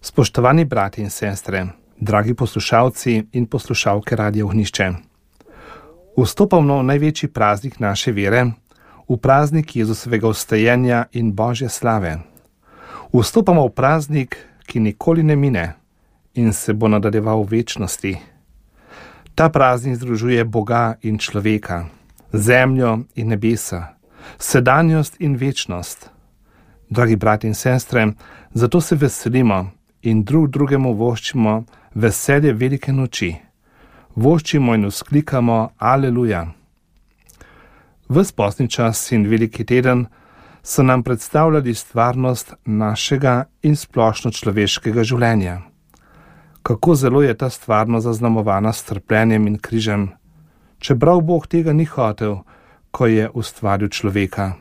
Spoštovani brati in sestre, dragi poslušalci in poslušalke Radia Ognjišče. Vstopamo v največji praznik naše vere, v praznik Jezusovega vstajenja in Božje slave. Vstopamo v praznik, ki nikoli ne mine in se bo nadaljeval v večnosti. Ta praznik združuje Boga in človeka, zemljo in nebesa, sedanjost in večnost. Dragi brati in sestre, zato se veselimo in drugemu voščimo veselje velike noči. Voščimo in vzklikamo Aleluja. Ves postni čas in veliki teden so nam predstavljali stvarnost našega in splošno človeškega življenja. Kako zelo je ta stvarnost zaznamovana s trpljenjem in križem, čeprav Bog tega ni hotel, ko je ustvaril človeka.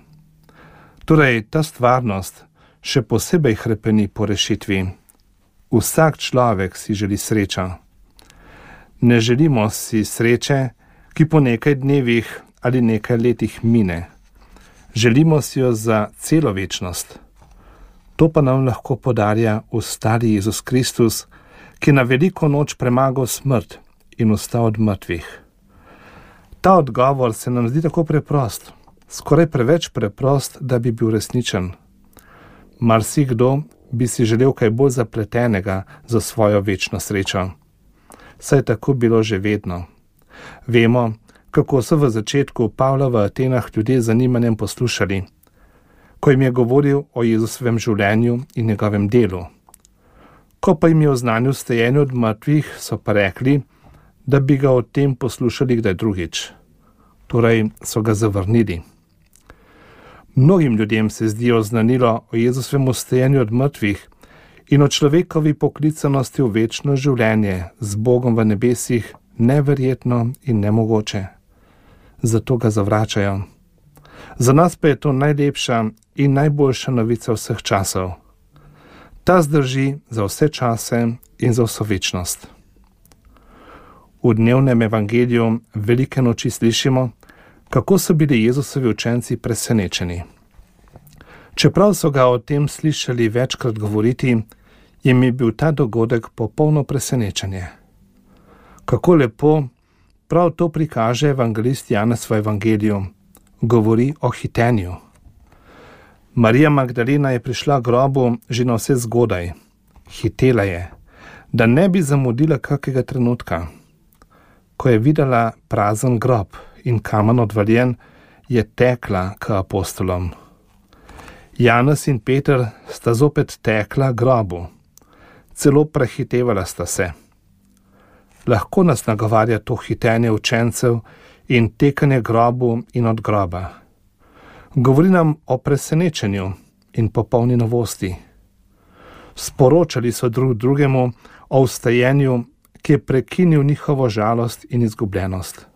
Torej, ta stvarnost še posebej hrepeni po rešitvi. Vsak človek si želi srečo. Ne želimo si sreče, ki po nekaj dnevih ali nekaj letih mine. Želimo si jo za celo večnost. To pa nam lahko podarja vstali Jezus Kristus, ki na veliko noč premagal smrt in vstal od mrtvih. Ta odgovor se nam zdi tako preprost, skoraj preveč preprost, da bi bil resničen. Marsikdo bi si želel kaj bolj zapletenega za svojo večno srečo. Saj je tako bilo že vedno. Vemo, kako so v začetku Pavla v Atenah ljudje z zanimanjem poslušali, ko jim je govoril o Jezusovem življenju in njegovem delu. Ko pa jim je oznanil vstajenje od mrtvih, so pa rekli, da bi ga o tem poslušali kdaj drugič. Torej so ga zavrnili. Mnogim ljudem se zdi oznanilo o Jezusovem vstajenju od mrtvih in o človekovi poklicanosti v večno življenje z Bogom v nebesih neverjetno in nemogoče. Zato ga zavračajo. Za nas pa je to najlepša in najboljša novica vseh časov. Ta zdrži za vse čase in za vso večnost. V dnevnem evangeliju velike noči slišimo, kako so bili Jezusovi učenci presenečeni. Čeprav so ga o tem slišali večkrat govoriti, jim je bil ta dogodek popolno presenečenje. Kako lepo prav to prikaže evangelist Janez v evangeliju. Govori o hitenju. Marija Magdalena je prišla k grobu že na vse zgodaj. Hitela je, da ne bi zamudila kakega trenutka. Ko je videla prazen grob in kamen odvaljen, je tekla k apostolom. Janez in Peter sta zopet tekla k grobu. Celo prehitevala sta se. Lahko nas nagovarja to hitenje učencev in tekanje grobu in od groba. Govori nam o presenečenju in popolni novosti. Sporočali so drugemu o vstajenju, ki je prekinil njihovo žalost in izgubljenost.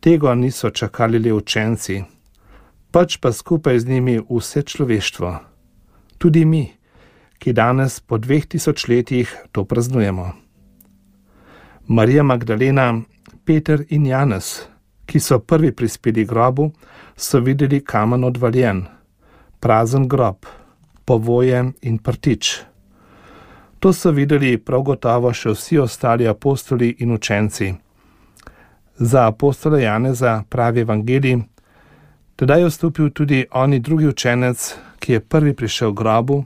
Tega niso čakali le učenci, pač pa skupaj z njimi vse človeštvo. Tudi mi, ki danes po 2000 letih to praznujemo. Marija Magdalena, Peter in Janez, ki so prvi prispeli grobu, so videli kamen odvaljen, prazen grob, povoje in prtič. To so videli prav gotovo še vsi ostali apostoli in učenci. Za apostola Janeza pravi evangelij, tedaj je vstopil tudi oni drugi učenec, ki je prvi prišel k grobu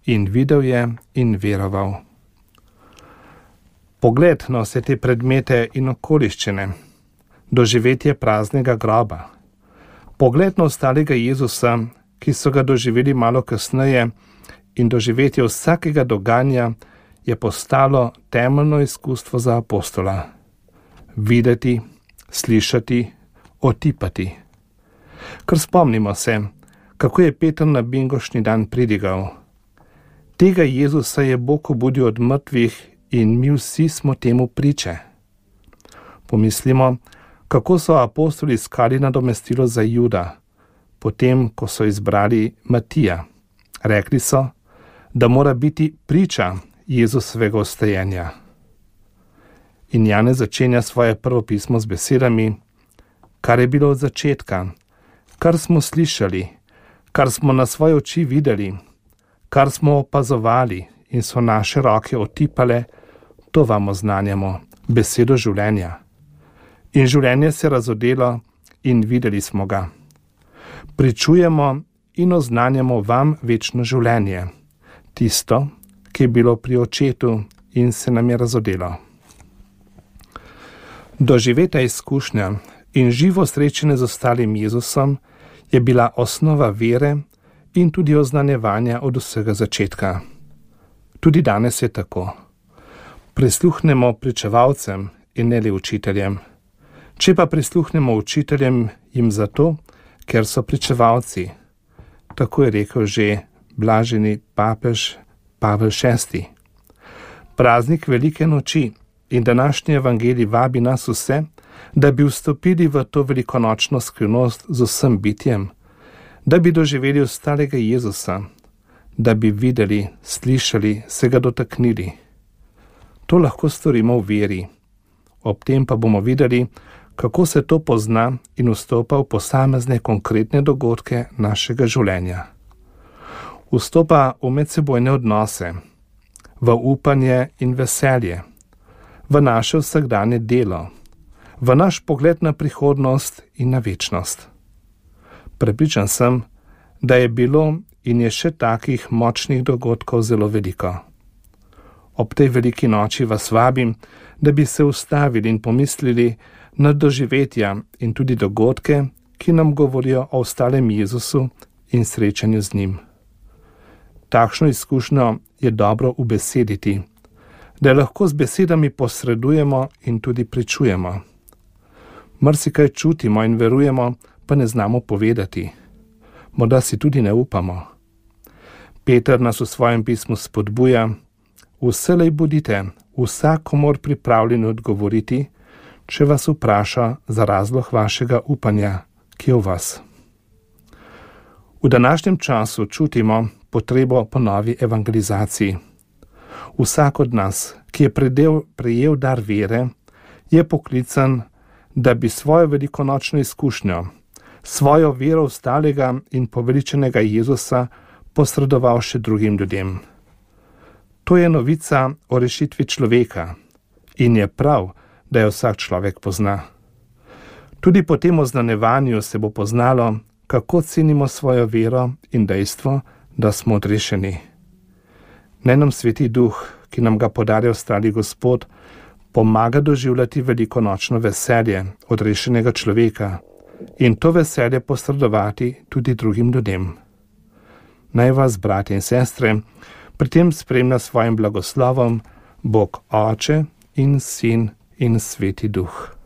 in videl je in veroval. Pogled na vse te predmete in okoliščine, doživetje praznega groba, pogled na ostalega Jezusa, ki so ga doživeli malo kasneje, in doživetje vsakega dogajanja je postalo temeljno izkustvo za apostola. Videti, slišati, otipati. Ker spomnimo se, kako je Peter na bingošni dan pridigal. Tega Jezusa je Bog obudil od mrtvih in mi vsi smo temu priče. Pomislimo, kako so apostoli iskali nadomestilo za Juda, potem, ko so izbrali Matija. Rekli so, da mora biti priča Jezusovega vstajenja. In Janez začenja svoje prvo pismo z besedami, kar je bilo od začetka, kar smo slišali, kar smo na svoje oči videli, kar smo opazovali in so naše roke otipale, to vam oznanjamo, besedo življenja. In življenje se razodelo in videli smo ga. Pričujemo in oznanjamo vam večno življenje, tisto, ki je bilo pri očetu in se nam je razodelo. Doživeta izkušnja in živo srečanje z ostalim Jezusom je bila osnova vere in tudi oznanjevanja od vsega začetka. Tudi danes je tako. Prisluhnemo pričevalcem in ne le učiteljem. Če pa prisluhnemo učiteljem, jim zato, ker so pričevalci. Tako je rekel že blaženi papež Pavel VI. Praznik velike noči in današnji evangelij vabi nas vse, da bi vstopili v to velikonočno skrivnost z vsem bitjem, da bi doživeli ostalega Jezusa, da bi videli, slišali, se ga dotaknili. To lahko storimo v veri. Ob tem pa bomo videli, kako se to pozna in vstopa v posamezne konkretne dogodke našega življenja. Vstopa v medsebojne odnose, v upanje in veselje, v naše vsakdanje delo, v naš pogled na prihodnost in na večnost. Prepričan sem, da je bilo in je še takih močnih dogodkov zelo veliko. Ob tej veliki noči vas vabim, da bi se ustavili in pomislili na doživetja in tudi dogodke, ki nam govorijo o ostalem Jezusu in srečanju z njim. Takšno izkušnjo je dobro ubesediti, da lahko z besedami posredujemo in tudi pričujemo. Marsikaj čutimo in verujemo, pa ne znamo povedati. Morda si tudi ne upamo. Peter nas v svojem pismu spodbuja: vselej bodite vsakomur pripravljeni odgovoriti, če vas vpraša za razlog vašega upanja, ki je v vas. V današnjem času čutimo potrebo po novi evangelizaciji. Vsak od nas, ki je prejel dar vere, je poklican, da bi svojo velikonočno izkušnjo, svojo vero ostalega in poveličenega Jezusa posredoval še drugim ljudem. To je novica o rešitvi človeka in je prav, da jo vsak človek pozna. Tudi po tem oznanjevanju se bo poznalo, kako cenimo svojo vero in dejstvo, da smo odrešeni. Naj nam Sveti Duh, ki nam ga podarja ostali Gospod, pomaga doživljati velikonočno veselje odrešenega človeka in to veselje posredovati tudi drugim ljudem. Naj vas, bratje in sestre, pri tem spremlja svojim blagoslovom Bog Oče in Sin in Sveti Duh.